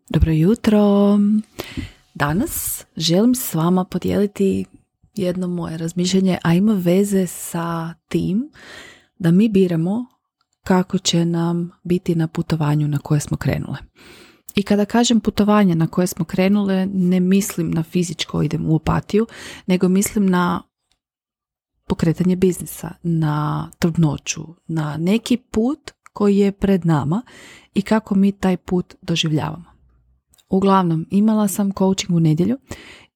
Dobro jutro! Danas želim s vama podijeliti jedno moje razmišljanje, a ima veze sa tim da mi biramo kako će nam biti na putovanju na koje smo krenule. I kada kažem putovanje na koje smo krenule, ne mislim na fizičko idem u Opatiju, nego mislim na pokretanje biznisa, na trudnoću, na neki put koji je pred nama i kako mi taj put doživljavamo. Uglavnom, imala sam coaching u nedjelju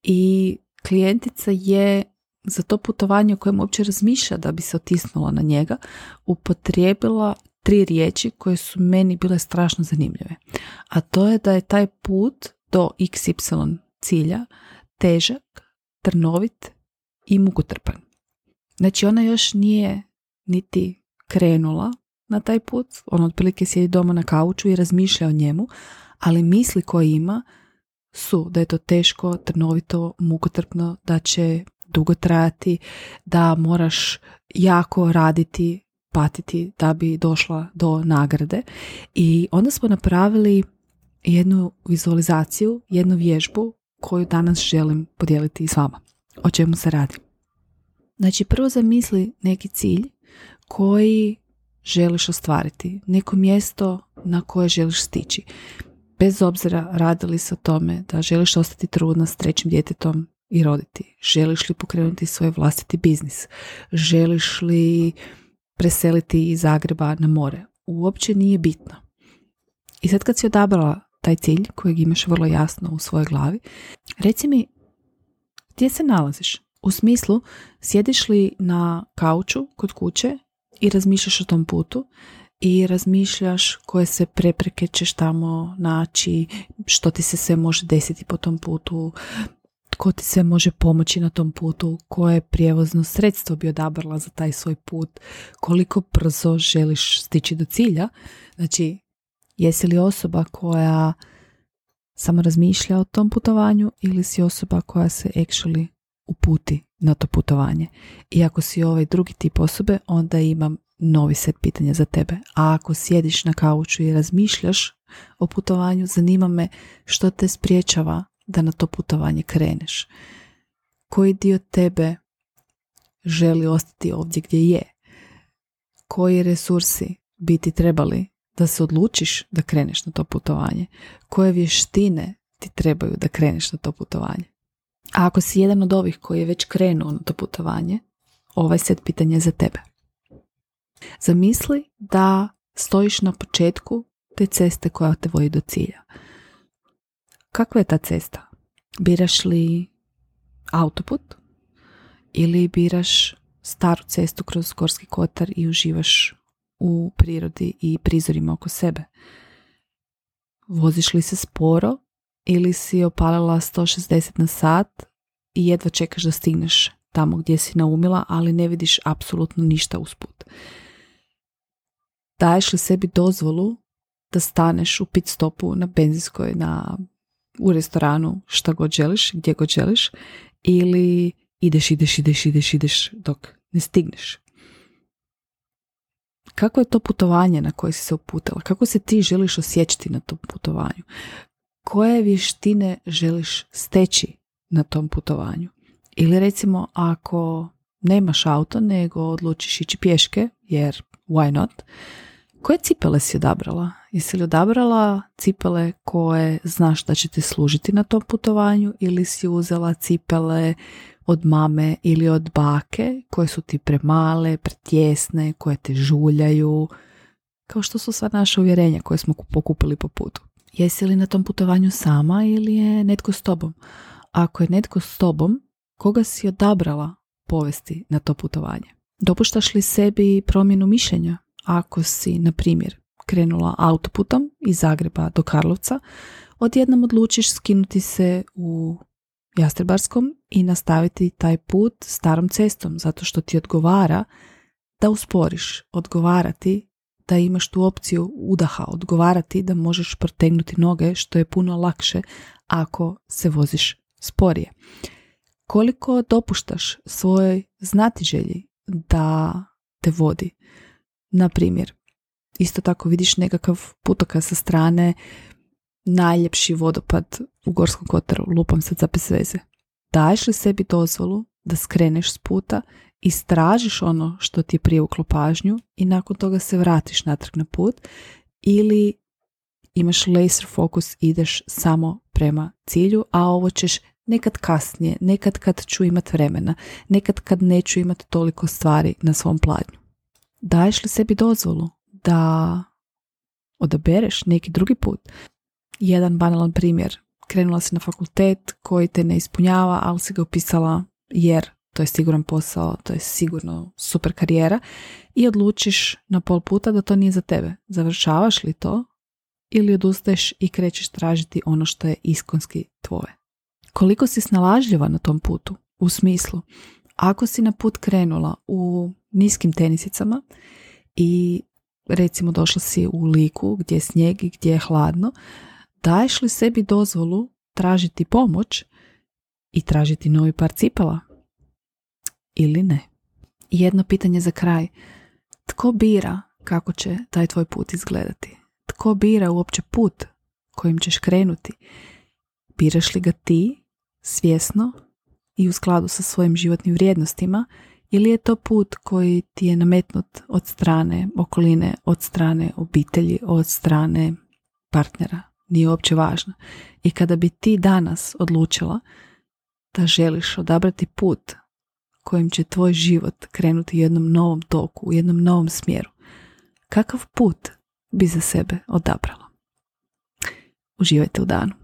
i klijentica je za to putovanje o kojem uopće razmišlja da bi se otisnula na njega, upotrijebila 3 riječi koje su meni bile strašno zanimljive. A to je da je taj put do XY cilja težak, trnovit i mukotrpan. Znači ona još nije niti krenula na taj put, ona otprilike sjedi doma na kauču i razmišlja o njemu, ali misli koje ima su da je to teško, trnovito, mukotrpno, da će dugo trajati, da moraš jako raditi, patiti da bi došla do nagrade. I onda smo napravili jednu vizualizaciju, jednu vježbu koju danas želim podijeliti s vama. O čemu se radi? Znači, prvo zamisli neki cilj koji želiš ostvariti, neko mjesto na koje želiš stići. Bez obzira radili se o tome da želiš ostati trudna s 3. djetetom i roditi. Želiš li pokrenuti svoj vlastiti biznis? Želiš li preseliti iz Zagreba na more? Uopće nije bitno. I sad kad si odabrala taj cilj kojeg imaš vrlo jasno u svojoj glavi, reci mi gdje se nalaziš? U smislu, sjediš li na kauču kod kuće i razmišljaš o tom putu i razmišljaš koje se prepreke ćeš tamo naći, što ti se sve može desiti po tom putu, tko ti se može pomoći na tom putu, koje prijevozno sredstvo bi odabrala za taj svoj put, koliko brzo želiš stići do cilja. Znači, jesi li osoba koja samo razmišlja o tom putovanju ili si osoba koja se actually uputi na to putovanje? I ako si ovaj drugi tip osobe, onda imam novi set pitanja za tebe. A ako sjediš na kauču i razmišljaš o putovanju, zanima me što te spriječava da na to putovanje kreneš. Koji dio tebe želi ostati ovdje gdje je? Koji resursi bi ti trebali da se odlučiš da kreneš na to putovanje? Koje vještine ti trebaju da kreneš na to putovanje? A ako si jedan od ovih koji je već krenuo na to putovanje, ovaj set pitanja je za tebe. Zamisli da stojiš na početku te ceste koja te vodi do cilja. Kakva je ta cesta? Biraš li autoput ili biraš staru cestu kroz Gorski kotar i uživaš u prirodi i prizorima oko sebe? Voziš li se sporo ili si opalila 160 na sat i jedva čekaš da stigneš tamo gdje si naumila, ali ne vidiš apsolutno ništa usput? Daješ li sebi dozvolu da staneš u pit stopu na benzinskoj, u restoranu, šta god želiš, gdje god želiš, ili ideš dok ne stigneš? Kako je to putovanje na koje si se uputila? Kako se ti želiš osjećati na tom putovanju? Koje vještine želiš steći na tom putovanju? Ili recimo, ako nemaš auto nego odlučiš ići pješke, jer why not, koje cipele si odabrala? Jesi li odabrala cipele koje znaš da će ti služiti na tom putovanju ili si uzela cipele od mame ili od bake koje su ti premale, pretjesne, koje te žuljaju, kao što su sva naša uvjerenja koje smo pokupili po putu? Jesi li na tom putovanju sama ili je netko s tobom? Ako je netko s tobom, koga si odabrala povesti na to putovanje? Dopuštaš li sebi promjenu mišljenja? Ako si, na primjer, krenula autoputom iz Zagreba do Karlovca, odjednom odlučiš skinuti se u Jastrebarskom i nastaviti taj put starom cestom, zato što ti odgovara da usporiš, odgovarati da imaš tu opciju udaha, odgovarati da možeš protegnuti noge, što je puno lakše ako se voziš sporije. Koliko dopuštaš svojoj znatiželji da te vodi? Na primjer, isto tako vidiš nekakav putokaz sa strane, najljepši vodopad u Gorskom Kotaru, lupam sad za bez veze. Daješ li sebi dozvolu da skreneš s puta, istražiš ono što ti je privuklo pažnju i nakon toga se vratiš natrag na put, ili imaš laser fokus, ideš samo prema cilju, a ovo ćeš nekad kasnije, nekad kad ću imat vremena, nekad kad neću imat toliko stvari na svom pladnju. Daješ li sebi dozvolu da odabereš neki drugi put? Jedan banalan primjer. Krenula si na fakultet koji te ne ispunjava, ali si ga upisala jer to je siguran posao, to je sigurno super karijera i odlučiš na pol puta da to nije za tebe. Završavaš li to ili odustaješ i krećeš tražiti ono što je iskonski tvoje? Koliko si snalažljiva na tom putu? U smislu, ako si na put krenula u niskim tenisicama i recimo došla si u Liku gdje je snijeg i gdje je hladno, daješ li sebi dozvolu tražiti pomoć i tražiti novi par cipela? Ili ne? Jedno pitanje za kraj. Tko bira kako će taj tvoj put izgledati? Tko bira uopće put kojim ćeš krenuti? Biraš li ga ti svjesno i u skladu sa svojim životnim vrijednostima, ili je to put koji ti je nametnut od strane okoline, od strane obitelji, od strane partnera? Nije uopće važno. I kada bi ti danas odlučila da želiš odabrati put kojim će tvoj život krenuti u jednom novom toku, u jednom novom smjeru, kakav put bi za sebe odabrala? Uživajte u danu.